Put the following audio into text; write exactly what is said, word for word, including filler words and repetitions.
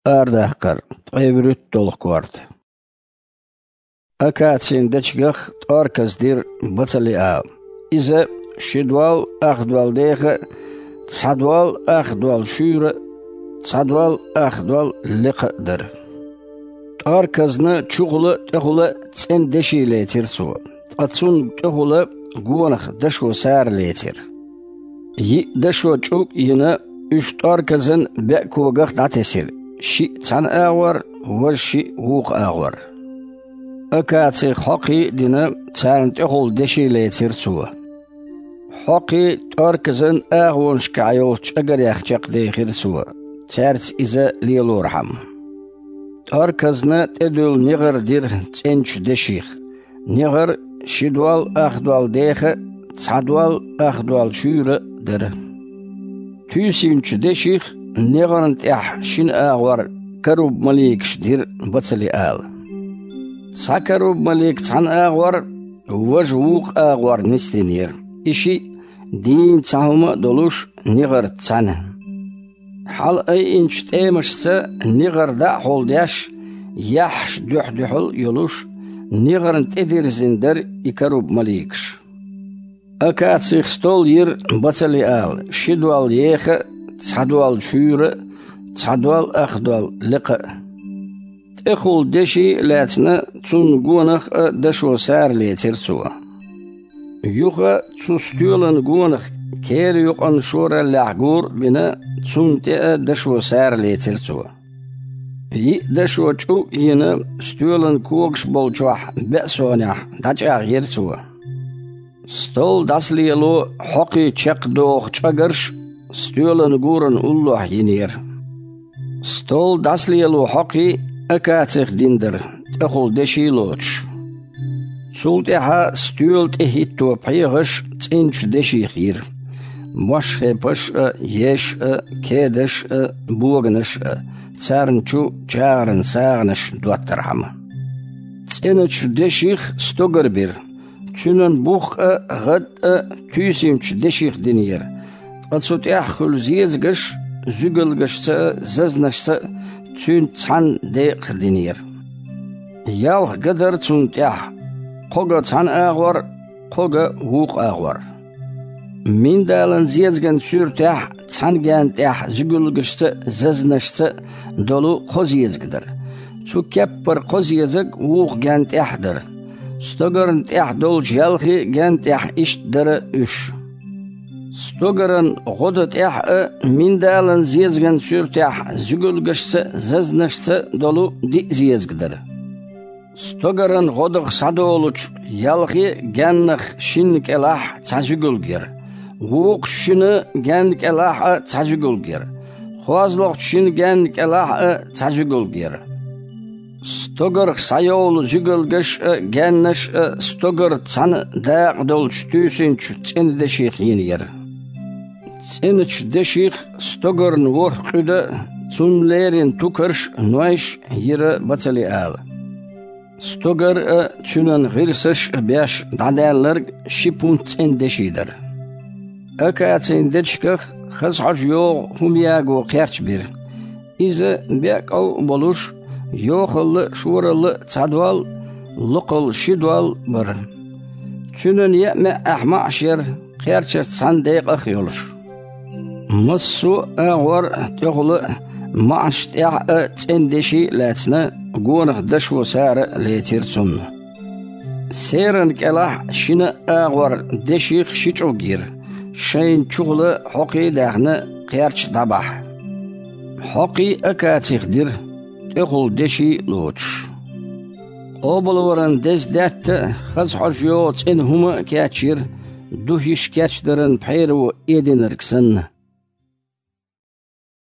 Арадаккхар, ткъе вуьрхӀитта долу корта. Акацин дечигах тӀорказ дира Бацалиала. Иза ши дол ах дол деха а, цхьа дол ах дол шуьйра а, цхьа дол ах дол лекха а дара. ТӀорказна чухула а, тӀехула а цӀена деши лецира цо, ткъа цунна тӀехула гонах дашо сара лецира. Йиъ дашо чӀуг а йина, уьш тӀорказан беа когах дӀатесира, шиъ цхьана агӀор, важа шиъ вукху агӀор. Акацих хьокхий а дина, царна тӀехула деши лецира цо. Хьокхий тӀорказан агӀонашкахь йолчу чӀагарех чекхдехира цо, цаьрца иза лелорхьама. ТӀорказна тӀедуьллу негӀар дира цӀеначу деших. НегӀар ши дол ах дол деха а, цхьа дол ах дол шуьйра а дара. Туьйсинчу деших негӀарна тӀехь шина агӀор каруб-маликаш дира Бацалиала. Цхьа каруб-малик цхьана агӀор, важа вукху агӀор нисдинера. И шиъ дийна цхьа хӀума а долуш, негӀарца цхьаьна. Хьала айинчу тӀемашца негӀар дӀа а хьулдеш, яххьаш дуьхь-дуьхьал а йолуш, негӀарна тӀедирзина дара и каруб-маликаш. Акацих стол йира Бацалиала, ши дол еха а, цхьа дол шуьйра а, цхьа дол ах дол лекха а. ТӀехула деши а лаьцна, цунна гонах а дашо сара лецира цо. Юха цу стоьлан гонах кера юкъанна шораллехь гора а бина, цунна тӀе а дашо сара лецира цо. Йиъ дашо чӀуг а йина, стоьлан когаш болчохь беа сонехь дӀачӀагӀйира цо. Стол дӀасалело хьокхий чекхдоху чӀагарш стоьлан гуран уллохь йинера. Стол дӀасалело хьокхий акацих дина дара, тӀехула деши а лоцуш. Цул тӀаьхьа стоьла тӀе хӀитто пхьегӀаш цӀеначу деших йира: бошхепаш а, еш а, кедаш а, боганаш а, царна чу чагӀаран сагӀанаш доттархьама. ЦӀеначу деших стогар бира. Цуьнан бух а, гӀад а туьйсинчу деших динера, ткъа цу тӀехь хуьлу зезагаш зуьгалгашца а, зазнашца а цуьнца цхьаьна декъах динера. Ялх ган дара цунна тӀехь, кхо ган цхьана агӀор, кхо ган вукху агӀор. Миндалан зезаган суьртехь цхьана гаьнна тӀехь зуьгалгашца а, зазнашца а долу кхо зезаг дара. Цу кеппара кхо зезаг вукху гаьнна тӀехь дара. Стогарна тӀехь долчу ялхе а гаьнна тӀехь иштта дара уьш. Стогаран гӀо дан тӀехь а миндалан зезаган суьртехь зуьгалгашца а, зазнашца а долу диъ зезаг дара. Стогаран гӀо дан схьадолучу ялхе а гаьннах шинна кӀелахь цхьа зуьгалг яра, вукху шина гаьнна кӀелахь а цхьа зуьгалг яра, кхозлагӀчу шина гаьнна кӀелахь а цхьа зуьгалг яра. Стогарх схьайовлу зуьгалгаш а, гаьннаш а стогарца цхьаьна дакъа долчу туьйсинчу цӀена деших йина яра. ЦӀеначу деших стогарна ворхӀ къуьда а, цунна леррина тукарш а, нойш а йира Бацалиала. Стогар а, цуьнан гӀирсаш а беш дӀадаьлларг ши пунт цӀена деши дара. Акацин дечигах хаза хьожа йогӀу хӀума яго кхерч бира. Иза беа кӀов а болуш, йохалла а, шоралла а цхьа дол, локхалла ши дол бара. Цуьнан яа маьӀӀехь маӀаш яра, кхерчашца цхьаьна декъах а йолуш. Массо а агӀор а, тӀехула а, маӀаш тӀехь а цӀена деши а лаьцна, гонах дашо сара а лецира цунна. Серан кӀелахь шина а агӀор деших ши чӀуг йира, шайна чухула хьокхий а даьхна, кхерч дӀабахьа. Хьокхий акацих дира, тӀехула деши а лоцуш. Къобалваран деза даьтта а, хаза хьожа йогӀу цӀена хӀума а кечйира, духьаш кечдаран пхьеро эдинарг санна.